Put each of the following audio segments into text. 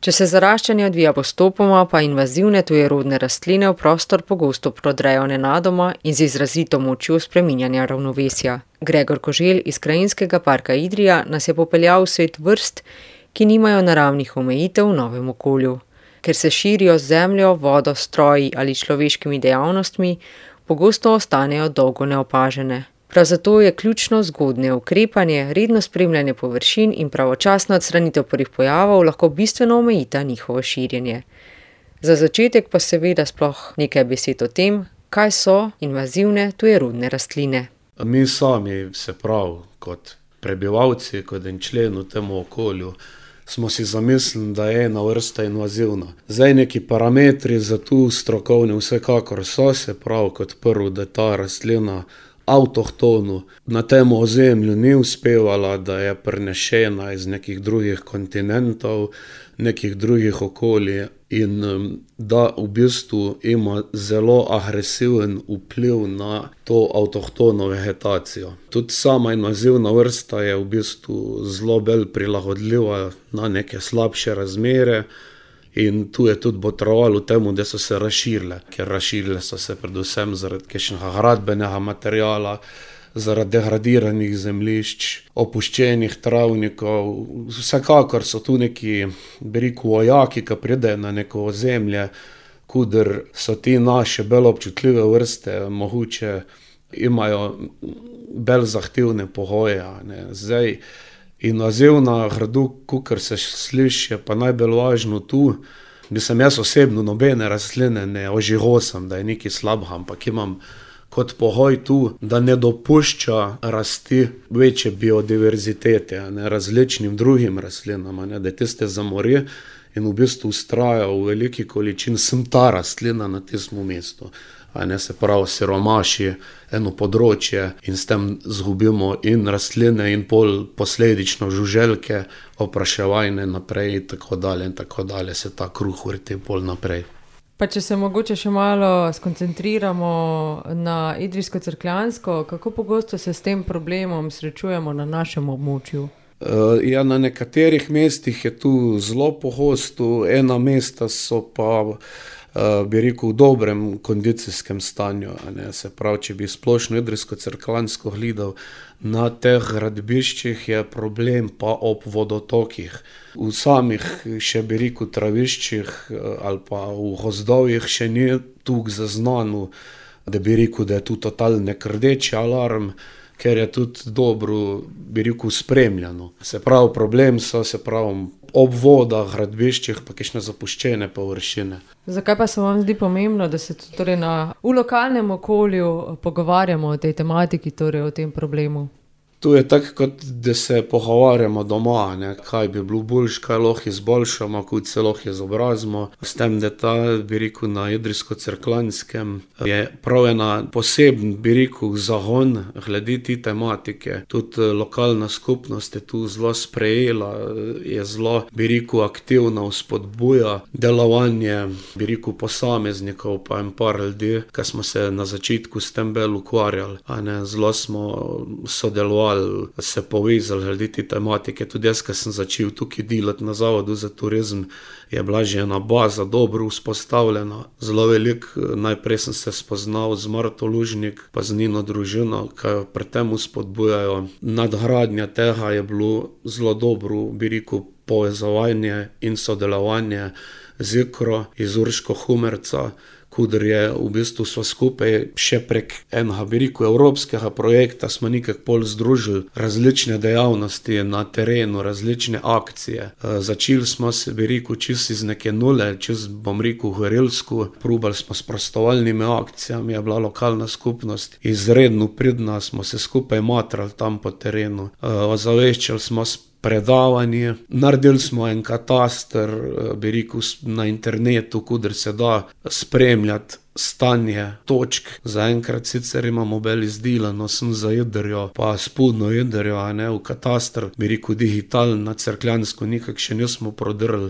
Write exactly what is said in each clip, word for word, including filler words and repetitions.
Če se zaraščanje odvija postopoma, pa invazivne tujerodne rastline v prostor pogosto prodrejo nenadoma in z izrazito močjo spreminjanja ravnovesja. Gregor Koželj iz Krajinskega parka Idrija nas je popeljal v svet vrst, ki nimajo naravnih omejitev v novem okolju. Ker se širijo z zemljo, vodo, stroji ali človeškimi dejavnostmi, pogosto ostanejo dolgo neopažene. Prav zato je ključno zgodnje ukrepanje, redno spremljanje površin in pravočasna odstranitev prvih pojavov lahko bistveno omejita njihovo širjenje. Za začetek pa seveda sploh nekaj besed o tem, kaj so invazivne tujerodne rastline. Mi sami, se pravi, kot prebivalci, kot en člen v tem okolju, smo si zamislili, da je ena vrsta invazivna. Zdaj neki parametri za tu strokovni vsekakor so, se pravi, kot prvo, da ta rastlina avtohtonu na tem ozemlju ni uspevala, da je prenešena iz nekih drugih kontinentov, nekih drugih okolij in da v bistvu ima zelo agresiven vpliv na to avtohtono vegetacijo. Tudi sama invazivna vrsta je v bistvu zelo bolj prilagodljiva na neke slabše razmere in tu je tudi botrovalo temu, da so se razširile, ker razširile so se predvsem zaradi kakšnega gradbenega materiala, zaradi degradiranih zemljišč, opuščenih travnikov. Vsekakor so tu neki, bi rekel, vojaki, ki pridejo na neko ozemlje, kuder so ti naše bolj občutljive vrste, mogoče imajo bolj zahtevne pogoje, ne. Zdaj, invazivna gradu, kakor se sliši, je pa najbolj važno tu. Mislim, jaz osebno nobene rastline ne ožigosam, da je nekaj slabega, ampak imam kot pogoj tu, da ne dopušča rasti večje biodiverzitete, ne, različnim drugim rastlinam, ne, da tiste zamori in v bistvu vztraja v veliki količini sem ta rastlina na tistem mestu. A ne, se pravi, siromaši eno področje in s tem zgubimo in rastline in pol posledično žuželke, opraševajne naprej in tako dalje in tako dalje se ta kruh vrti pol naprej. Pa če se mogoče še malo skoncentriramo na Idrijsko-Cerkljansko, kako pogosto se s tem problemom srečujemo na našem območju? Ja, na nekaterih mestih je tu zelo pogosto, ena mesta so pa bi rekel, v dobrem kondicijskem stanju, a ne, se pravi, če bi splošno Idrijsko-Cerkljansko gledal, na teh gradbiščih je problem pa ob vodotokih. V samih, še bi rekel, traviščih ali pa v gozdovih še ni toliko zaznano, da bi rekel, da je tu totalni rdeči alarm, ker je tudi dobro, bi rekel, spremljano. Se pravi, problem so, se pravi, ob vodah, gradbiščih pa kakšne zapuščene površine. Zakaj pa se vam zdi pomembno, da se torej na, v lokalnem okolju pogovarjamo o tej tematiki, torej o tem problemu? To je tako, kot da se pogovarjamo doma, ne, kaj bi bilo boljše, kaj lahko izboljšamo, kako se lahko izobrazimo. S tem, da ta, bi rekel, na Idrijsko-Cerkljanskem je prav ena poseben, bi rekel, zagon glede te tematike. Tudi lokalna skupnost je tu zelo sprejela, je zelo, bi rekel, aktivna, vzpodbuja delovanje, bi rekel, posameznikov pa en par ljudi, ki smo se na začetku s tem bolj ukvarjali, a ne, zelo smo sodelovali, se povezali glede te tematike. Tudi jaz, ko sem začel tukaj delati na Zavodu za turizem, je bila že ena baza dobro vzpostavljena. Zelo veliko, najprej sem se spoznal z Marto Lužnik pa z njeno družino, ki jo pri tem spodbujajo. Nadgradnja tega je bilo zelo dobro, bi rekel, povezovanje in sodelovanje z Ikro iz Urško Humerca, kuder je v bistvu sva skupaj še prek enega, bi rekel, evropskega projekta smo nekako pol združili različne dejavnosti na terenu, različne akcije. Začeli smo se, bi rekel, čisto iz neke nule, čisto, bom rekel, gorilsko. Probali smo s prostovoljnimi akcijami, je bila lokalna skupnost izredno pridna, smo se skupaj matrali tam po terenu. Ozaveščali smo predavanje, naredili smo en kataster, bi rekel, na internetu, kuder se da spremljati stanje točk. Zaenkrat sicer imamo bolj izdelano sem za Idrijo pa spodnjo Idrijo, a ne, v kataster, bi rekel, digitalno na Cerkljansko nekako še nismo prodrli,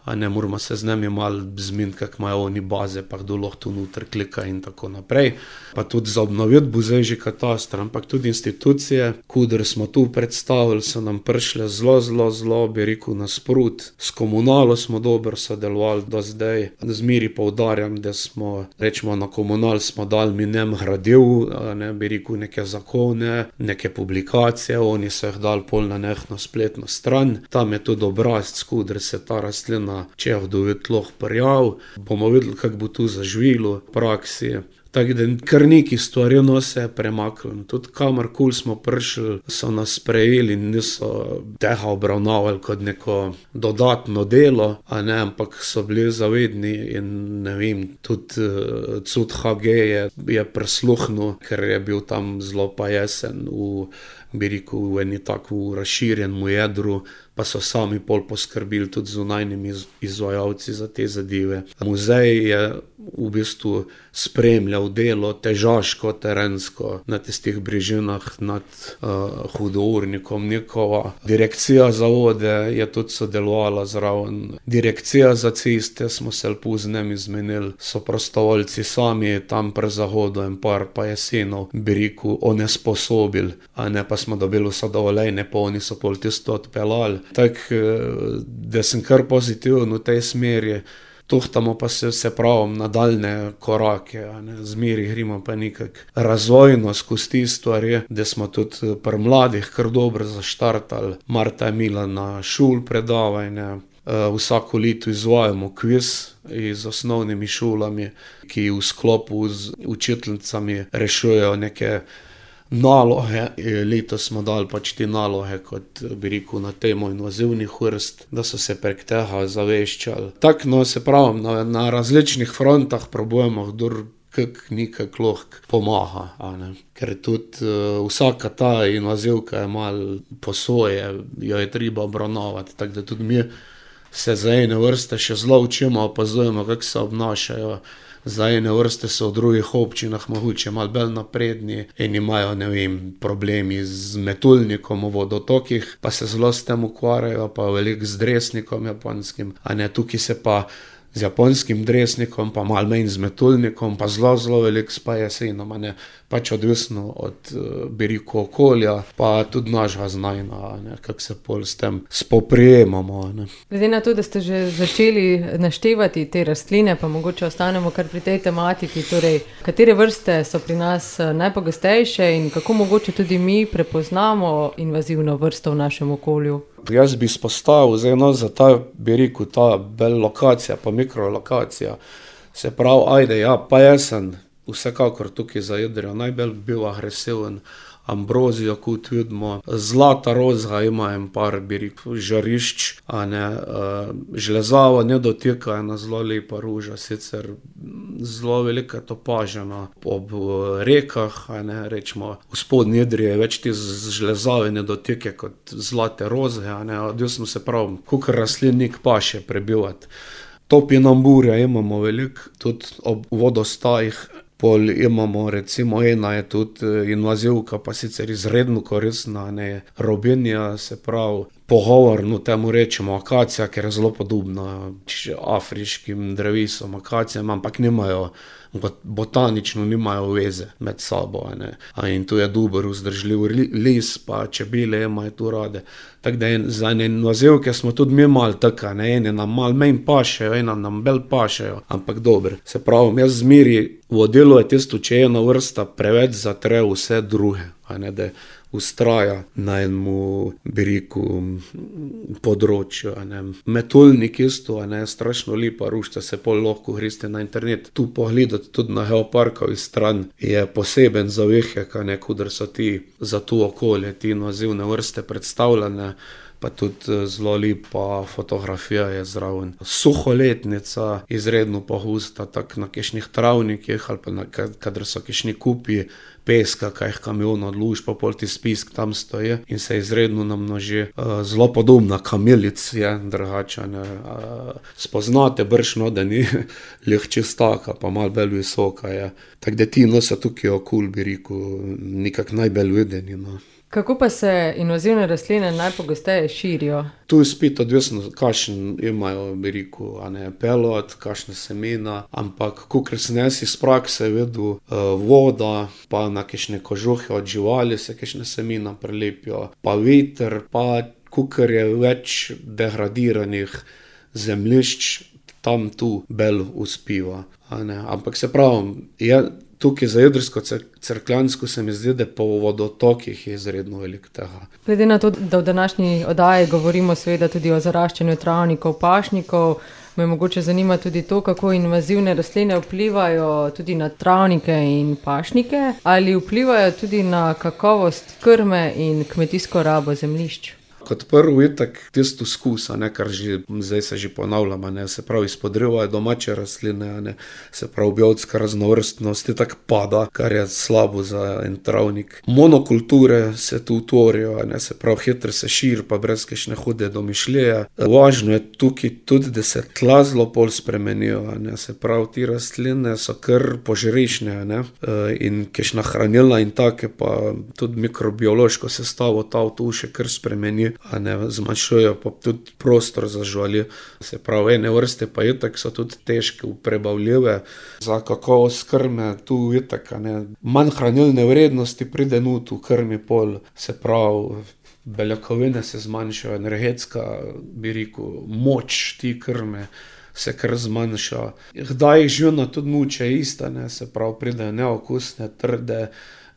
a ne moramo se z njimi malo zmeniti, kak imajo oni baze, pa kdo lahko tu noter klika in tako naprej. Pa tudi za obnoviti bo zdaj že katastar, ampak tudi institucije, kudr smo tu predstavili, so nam prišle zelo, zelo, zelo, bi rekel, nasprot. S komunalo smo dobro sodelovali do zdaj. Zmeri poudarjam, da smo, rečemo, na komunal smo dali mi nem gradiv, ne, bi rekel, neke zakone, neke publikacije, oni so jih dali pol na nehno spletno stran. Tam je tudi obrazc, kudr se ta rastlina, če je vdovit lahko prijav. Bomo videli, kako bo tu zaživilo v praksi. Tako da kar neki stvari no se je premaknilo. Tudi kamorkoli smo prišli, so nas sprejeli in niso tega obravnavali kot neko dodatno delo, a ne, ampak so bili zavedni in ne vem, tudi uh, Cud H G je, je prisluhnil, ker je bil tam zelo pa jesen v, bi rekel, v eni tako razširjenemu jedru, pa so sami pol poskrbili tudi zunajnimi izvajalci za te zadeve. Muzej je v bistvu spremljal delo težaško, terensko na tistih brežinah nad uh, hudournikom Nikova. Direkcija za vode je tudi sodelovala zraven. Direkcija za ceste smo se lepo z njimi zmenili. So prostovoljci sami tam pri zahodu in par pa jesenov, bi rekel, onesposobili, a ne pa smo dobili vse dovoljene, pa oni so pol tisto odpeljali. Tako, da sem kar pozitiven v tej smeri. Tuhtamo pa se, se pravim, nadaljne korake, a ne, zmeri gremo pa nekak razvojno skozi te stvari, da smo tudi pri mladih kar dobro zaštartali. Marta je imela na šol predavanje, vsako leto izvajamo kviz z osnovnimi šolami, ki v sklopu z učiteljicami rešujejo neke naloge. Letos smo dali pač te naloge, kot bi rekel, na temo invazivnih vrst, da so se prek tega zaveščali. Tako, no, se pravim, na, na različnih frontah probujemo, kdor kak nekak lahko pomaga, a ne. Ker tudi uh, vsaka ta invazivka je malo po svoje, jo je treba obravnavati, tako da tudi mi se za ene vrste še zelo učimo, opazujemo, kako se obnašajo. Za ene vrste so v drugih občinah mogoče malo bolj napredni in imajo, ne vem, problemi z metulnikom v vodotokih, pa se zelo s tem ukvarjajo, pa veliko z dresnikom japonskim, a ne, tukaj se pa z japonskim dresnikom, pa malo manj z metulnikom, pa zelo, zelo veliko s pa jesenom, a ne, pač odvisno od, bi rekel, okolja, pa tudi našega znanja, kako se pol s tem spoprijemamo, ne. Glede na to, da ste že začeli naštevati te rastline, pa mogoče ostanemo kar pri tej tematiki, torej, katere vrste so pri nas najpogostejše in kako mogoče tudi mi prepoznamo invazivno vrsto v našem okolju? Jaz bi izpostavil, zdaj, no, za ta, bi rekel, ta bel lokacija, pa mikrolokacija, se pravi, ajde, ja, pa jesen, vsekakor tukaj za Idrijo najbolj bil agresiven, ambrozijo, kot vidimo, zlata rozga ima en par, bi rekel, žarišč, a ne, uh, žlezava ne dotika, ena zelo lepa ruža, sicer zelo velika topažena ob uh, rekah, a ne, rečemo, v spodnji Idriji je več te žlezave ne dotike kot zlate rozge, a ne, odvisno se pravi, kakor rastlinnik paše prebivati. Topinamburja imamo veliko, tudi ob vodostajih. Pol imamo, recimo, ena je tudi invazivka, pa sicer izredno koristna, ne, robinja, se pravi, pogovorno temu rečemo akacija, ker je zelo podobna afriškim drevesom, akacijam, ampak nimajo, botanično nimajo veze med sabo, ne. In tu je dober vzdržljiv lis, pa čebele imajo tu rade. Tako da za ene invazivke smo tudi mi malo taka, ne, ene nam malo manj pašejo, ena nam bolj pašejo, ampak dobro. Se pravi, jaz zmeri vodilo je tisto, če ena vrsta preveč zatre vse druge, a ne, da ustraja na enemu, bi rekel, področju, a ne. Metulnik isto, a ne, strašno lepa rušča, se pol lahko greste na internet. Tu pogledati tudi na geoparkovi stran je poseben zavihek, a ne, kudr so ti za to okolje, ti invazivne vrste predstavljene, pa tudi zelo lepa fotografija je zraven. Suholetnica, izredno pogosta, tako na kakšnih travnikih ali pa na, kadar so kakšni kupi peska, kaj jih kamion odluži, pa pol ti spisk tam stoji in se izredno namnoži. Uh, zelo podobna kamilic je, drugače, ne. Uh, spoznate bršno, da ni lih čistaka, pa malo bolj visoka je. Tako da ti no so tukaj okol, bi rekel, nekak najbolj videni, no. Kako pa se invazivne rastline najpogosteje širijo? Tu je spet odvisno, kakšen imajo, bi rekel, a ne, pelod, kakšne semena, ampak kakor sem jaz iz prakse videl, voda, pa na kakšne kožuhe od živali se kakšne semena prelepijo, pa veter, pa kakor je več degradiranih zemljišč, tam tu bolj uspiva, a ne. Ampak se pravi, je tukaj za Idrijsko-Cerkljansko se mi zdi, da po vodotokih je izredno veliko tega. Glede na to, da v današnji oddaji govorimo seveda tudi o zaraščanju travnikov, pašnikov, me mogoče zanima tudi to, kako invazivne rastline vplivajo tudi na travnike in pašnike, ali vplivajo tudi na kakovost krme in kmetijsko rabo zemljišč. Kot prvo je tak tisto skus, a ne, kar že, zdaj se že ponavljam, a ne, se pravi, izpodrivajo domače rastline, a ne, se pravi, biotska raznovrstnost je tak pada, kar je slabo za en travnik. Monokulture se tu tvorijo, a ne, se pravi, hitro se širi, pa brez kakšne hude domišljije. Važno je tukaj tudi, da se tla zelo pol spremenijo, a ne, se pravi, ti rastline so kar požrešne, a ne, in kakšna hranilna in take, pa tudi mikrobiološko sestavo ta v tu še kar spremeni, a ne, zmanjšujejo pa tudi prostor za živali. Se pravi, ene vrste pa itak so tudi težke, prebavljive. Za kakovost krme tu itak, a ne, manj hranilne vrednosti pride not v krmi pol, se pravi, beljakovine se zmanjšajo, energetska, bi rekel, moč ti krme se kar zmanjša. Kdaj jih živina tudi muče ista, ne, se pravi, pridejo neokusne, trde.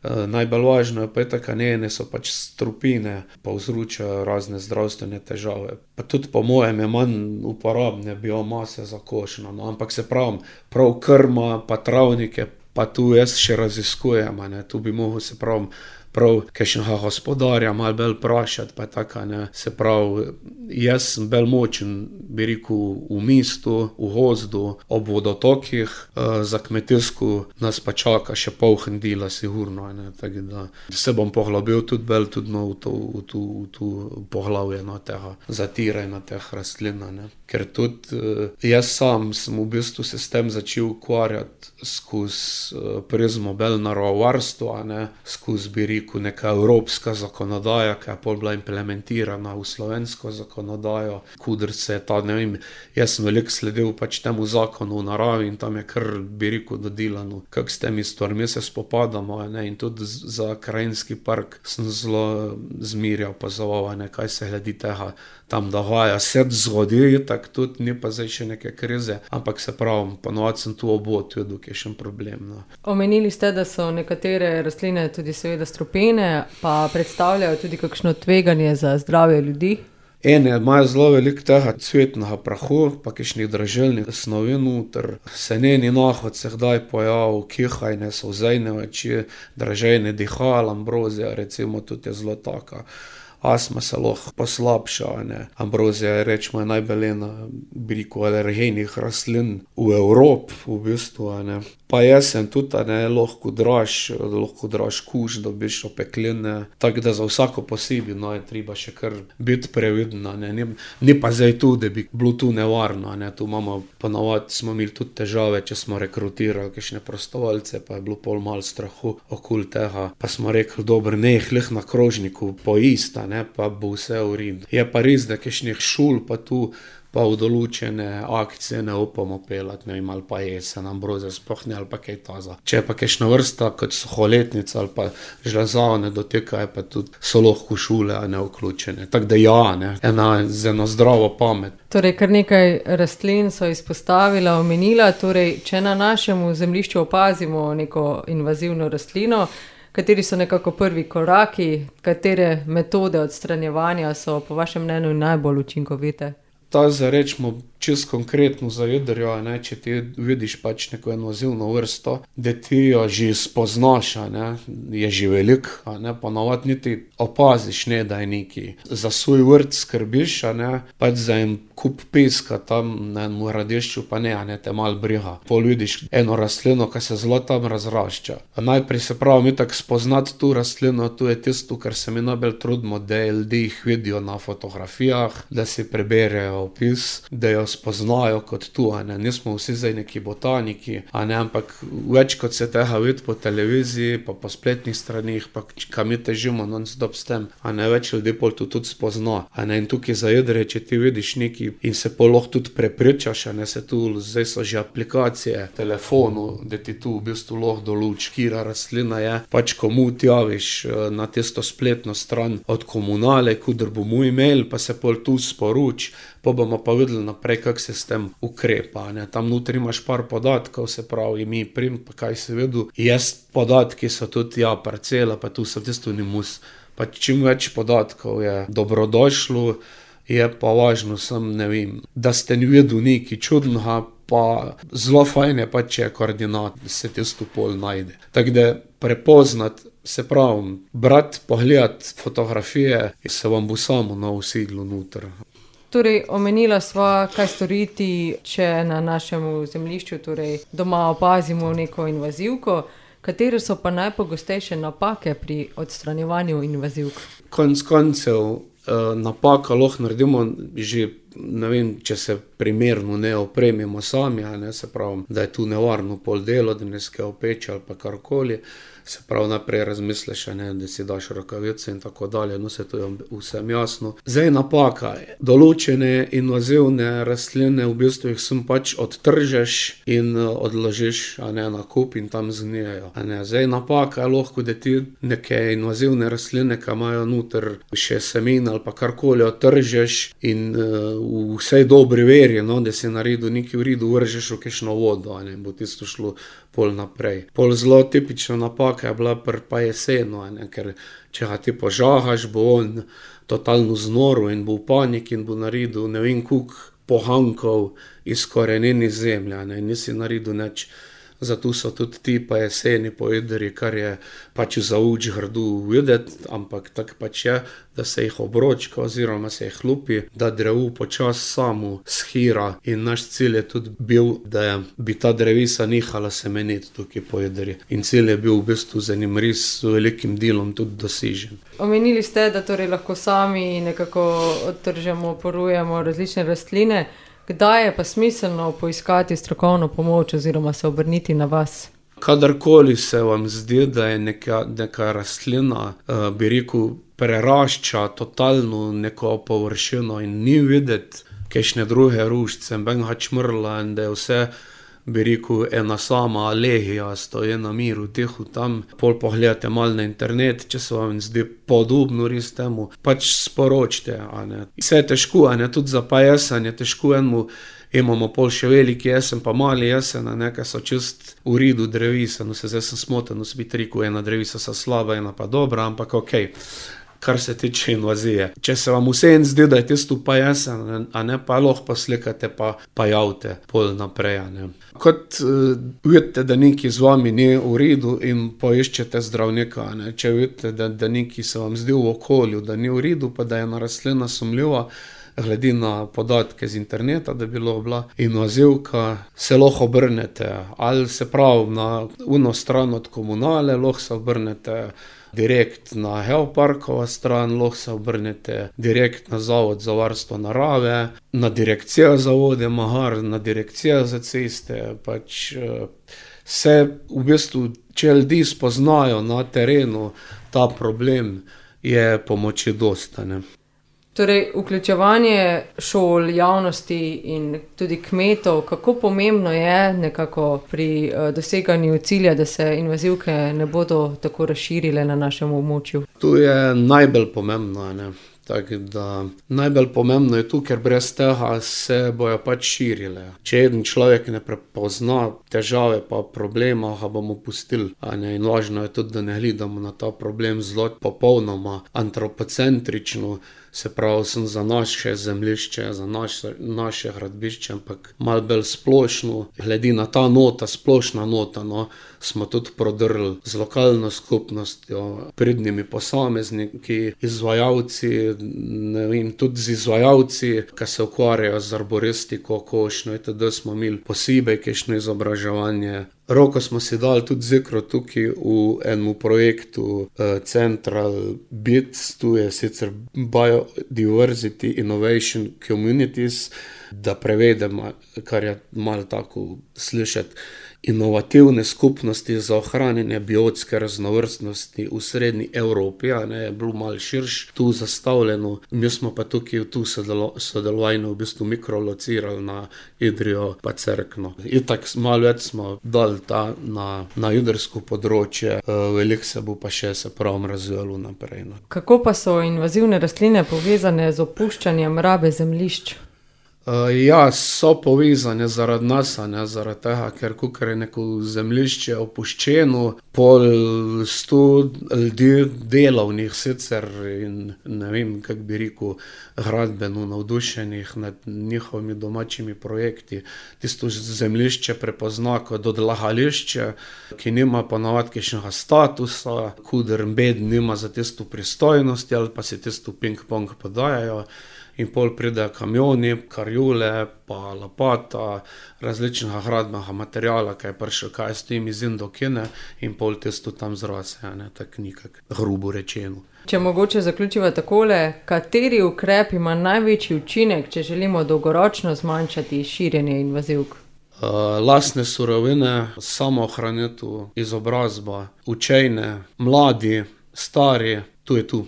Najbolj važno je pa itak, a ne, ene so pač strupine, povzročajo razne zdravstvene težave. Pa tudi po mojem je manj uporabne biomase za koš, no, ampak se pravim, prav krma, pa travnike, pa tu jaz še raziskujem, a ne, tu bi mogel, se pravim, prav kakšnega gospodarja malo bolj vprašati, pa tako, ne, se pravi, jaz sem bolj močen, bi rekel, v mestu, v gozdu, ob vodotokih, za kmetijsko nas pa čaka še pol hendila, sigurno, ne, tako da se bom poglobil tudi bolj tudi no, v to, v to, v to poglavje, no, tega zatiranja teh rastlin, ne, ker tudi jaz sam sem v bistvu se s tem začel ukvarjati skozi prizmo bolj naravovarstva, ne, skozi, bi rekel, neka evropska zakonodaja, ki je pol bila implementirana v slovensko zakonodajo, kudr se je ta, ne vem, jaz sem veliko sledil pač temu zakonu v naravi in tam je kar, bi rekel, dodelano, kako s temi stvarmi se spopadamo, ne, in tudi za krajinski park sem zelo zmerjal opazoval, ne, kaj se glede tega tam dogaja. Se zgodi, tako tudi ni pa zdaj še neke krize, ampak se pravim, ponovadi sem tu obod videl kakšen problem, no. Omenili ste, da so nekatere rastline tudi seveda strupene, pa predstavljajo tudi kakšno tveganje za zdravje ljudi? Ene imajo zelo veliko tega cvetnega prahu, pa kakšnih dražilnih snovi noter, seneni nahod se kdaj pojavi, kihajne, solzejne oči, dražejne dihal, ambrozija recimo tudi je zelo taka. Astma se lahko poslabša, ne. Ambrozija je, rečemo, najbolj ena, bi rekel, alergenih rastlin v Evropi, v bistvu, a ne. Pa jesen tudi, a ne, lahko draž, lahko draž kuž, dobiš opekline, tako da za vsako posebej, no, je treba še kar biti previden, a ne. Ni, ni pa zdaj tu, da bi bilo tu nevarno, a ne. Tu imamo, ponovadi smo imeli tudi težave, če smo rekrutirali kakšne prostovoljce, pa je bilo pol malo strahu okoli tega. Pa smo rekli, dobro, ne jih lih na krožniku poist, a ne, pa bo vse v redu. Je pa res, da kakšnih šul pa tu, pa v določene akcije ne upamo pelati, ne vem, ali pa jesen, ambrozija sploh ne, ali pa kaj taza. Če je pa kakšna vrsta, kot suholetnica ali pa žlezavne dotikajo, pa tudi so lahko šule, a ne, vključene. Tako da ja, ne, ena, z eno zdravo pamet. Torej, kar nekaj rastlin so izpostavila, omenila, torej, če na našem zemljišču opazimo neko invazivno rastlino, kateri so nekako prvi koraki, katere metode odstranjevanja so po vašem mnenju najbolj učinkovite? Ta za rečemo čisto konkretno za jedrjo, ne, če ti vidiš pač neko invazivno vrsto, da ti jo že spoznaš, a ne, je že velik, a ne, ponovadi niti opaziš, ne, da je neki. Za svoj vrt skrbiš, a ne, pač za en kup peska tam na enem radišču, pa ne, a ne, te malo briga. Pol vidiš eno rastlino, ki se zelo tam razrašča. A najprej se pravi, mi tako spoznati tu rastlino, tu je tisto, kar se mi najbolj trudimo, da ljudje jih vidijo na fotografijah, da si preberejo opis, da jo spoznajo kot tu, a ne, nismo vsi zdaj neki botaniki, a ne, ampak več kot se tega vidi po televiziji, pa po spletnih stranih, pa kam mi težimo non-stop s tem, a ne, več ljudi pol to tudi spozna, a ne, in tukaj zajedre, če ti vidiš neki in se pol lahko tudi prepričaš, a ne, se tu, zdaj so že aplikacije, telefonu, da ti tu v bistvu lahko doluč, kira rastlina je, pač komu ti javiš na tisto spletno stran od komunale, kudr bomo imeli, pa se pol tu sporuč, pa bomo pa videli naprej, kak se s tem ukrepa, ne, tam notri imaš par podatkov, se pravi imi, prim, pa kaj se videl, jaz podatki so tudi, ja, parcela, pa tu so tisto nimus, pa čim več podatkov je dobrodošlo, je pa važno sem, ne vem, da ste ni videl nekaj čudnega, pa zelo fajn je pa, če je koordinat, da se tisto pol najde. Tako da prepoznati, se pravi, brati, pogledati fotografije, se vam bo samo na usidlo noter. Torej, omenila sva, kaj storiti, če na našem zemljišču, torej doma opazimo neko invazivko. Katere so pa najpogostejše napake pri odstranjevanju invazivk? Konec koncev, napaka lahko naredimo že, ne vem, če se primerno ne opremimo sami, a ne, se pravi, da je tu nevarno pol delo, da ne skaj opeče ali pa karkoli, se pravi, najprej razmisliš, a ne, da si daš rokavice in tako dalje, no, se to je vsem jasno. Zdaj napaka je, določene invazivne rastline, v bistvu jih sem pač odtržeš in odložiš, a ne, na kup in tam zgnijejo, a ne. Zdaj napaka je lahko, da ti neke invazivne rastline, ki imajo noter še semen ali pa karkoli, odtržeš in v vsej dobri veri, no, da si naredil nekaj v redu, vržeš v kakšno vodo, a ne, bo tisto šlo pol naprej. Pol zelo tipična napaka je bila pri pa jesenu, a ne, ker če ga ti požahaš, bo on totalno znoril in bo v paniki in bo naredil ne vem koliko pohankov iz korenin iz zemlje, a ne, in nisi naredil nič. Zato so tudi ti pa jeseni pojedri, kar je pač za uč grdu videti, ampak tako pač je, da se jih obročka oziroma se jih lupi, da drevo počas samo shira in naš cilj je tudi bil, da bi ta drevesa nehala semeniti tukaj pojedri. In cilj je bil v bistvu za njim res s velikim delom tudi dosežen. Omenili ste, da torej lahko sami nekako odtržemo, porujemo različne rastline. Kdaj je pa smiselno poiskati strokovno pomoč oziroma se obrniti na vas? Kadarkoli se vam zdi, da je neka, neka rastlina, bi rekel, prerašča totalno neko površino in ni videti kakšne druge ruščice, benga čmrla in da je vse, bi rekel, ena sama alegija, stoji na miru, tiho tam, pol pogledate malo na internet, če se vam zdi podobno res temu, pač sporočite, a ne. Vse je težko, a ne, tudi za pa jesen je težko enemu, imamo pol še veliki jesen, pa mali jesen, a ne, kaj so čist v redu drevesa, no se zdaj sem smoten, no se bi rekel, ena drevesa so slaba, ena pa dobra, ampak okej. Kar se tiče invazije. Če se vam vseeno zdi, da je tisto pa jesen, a ne, pa lahko poslikate, pa, pa javite pol naprej, a ne. Kot uh, vidite, da nekaj z vami ni v redu in poiščete zdravnika, a ne. Če vidite, da, da nekaj se vam zdi v okolju, da ni v redu, pa da je ena rastlina sumljiva, glede na podatke z interneta, da bi lahko bila invazivka, se lahko obrnete, ali se pravi na uno stran od komunale, lahko se obrnete direkt na Geoparkova stran, lahko se obrnete direkt na Zavod za varstvo narave, na direkcijo za vode Mahar, na direkcijo za ceste, pač se v bistvu, če ljudi spoznajo na terenu ta problem, je pomoči dosta, ne. Torej, vključevanje šol, javnosti in tudi kmetov, kako pomembno je nekako pri doseganju cilja, da se invazivke ne bodo tako razširile na našem območju? To je najbolj pomembno, ne. Tako da najbolj pomembno je tu, ker brez tega se bojo pač širile. Če eden človek ne prepozna težave pa problema, ga bomo pustili, a ne, in važno je tudi, da ne gledamo na ta problem zelo popolnoma antropocentrično, se pravi, sem za naše zemljišče, za naše, naše gradbišče, ampak malo bolj splošno, glede na ta nota, splošna nota, no, smo tudi prodrli z lokalno skupnostjo, pridnimi posamezniki, izvajalci, ne vem, tudi z izvajalci, ki se ukvarjajo z arboristiko, košnjo, itd. Smo imeli posebej kakšno izobraževanje, Roko smo si dali tudi zikro tukaj v enem projektu uh, Central Bits, tu je sicer Biodiversity Innovation Communities, da prevedemo, kar je malo tako slišati, inovativne skupnosti za ohranjanje biotske raznovrstnosti v srednji Evropi, a ne, je bilo malo širš tu zastavljeno. Mi smo pa tukaj tu sodelo, sodelovanje v bistvu mikrolocirali na Idrijo pa Cerkno. Itak malo več smo dali ta na, na idrsko področje, veliko se bo pa še se pravim razvijalo naprej. No. Kako pa so invazivne rastline povezane z opuščanjem rabe zemljišč? Uh, ja, so povezane zaradi nas, ne, zaradi tega, ker kakor je neko zemljišče opuščeno, pol sto ljudi delovnih sicer in ne vem, kako bi rekel, gradbeno navdušenih nad njihovimi domačimi projekti. Tisto zemljišče prepozna kot odlagališče, ki nima ponavadi kakšnega statusa, kuder bed nima za tisto pristojnosti ali pa si tisto ping-pong podajajo. In pol pridejo kamioni, karjule, pa lopata, različnega gradbenega materiala, ki je prišel, kaj s tem iz Indokine, in pol tisto tam zrase, ne, tako nikak grubo rečeno. Če mogoče zaključiva takole, kateri ukrep ima največji učinek, če želimo dolgoročno zmanjšati širjenje invazivk? Uh, lastne surovine, samoohranitev, izobrazba, učenje, mladi, stari, tu je tu.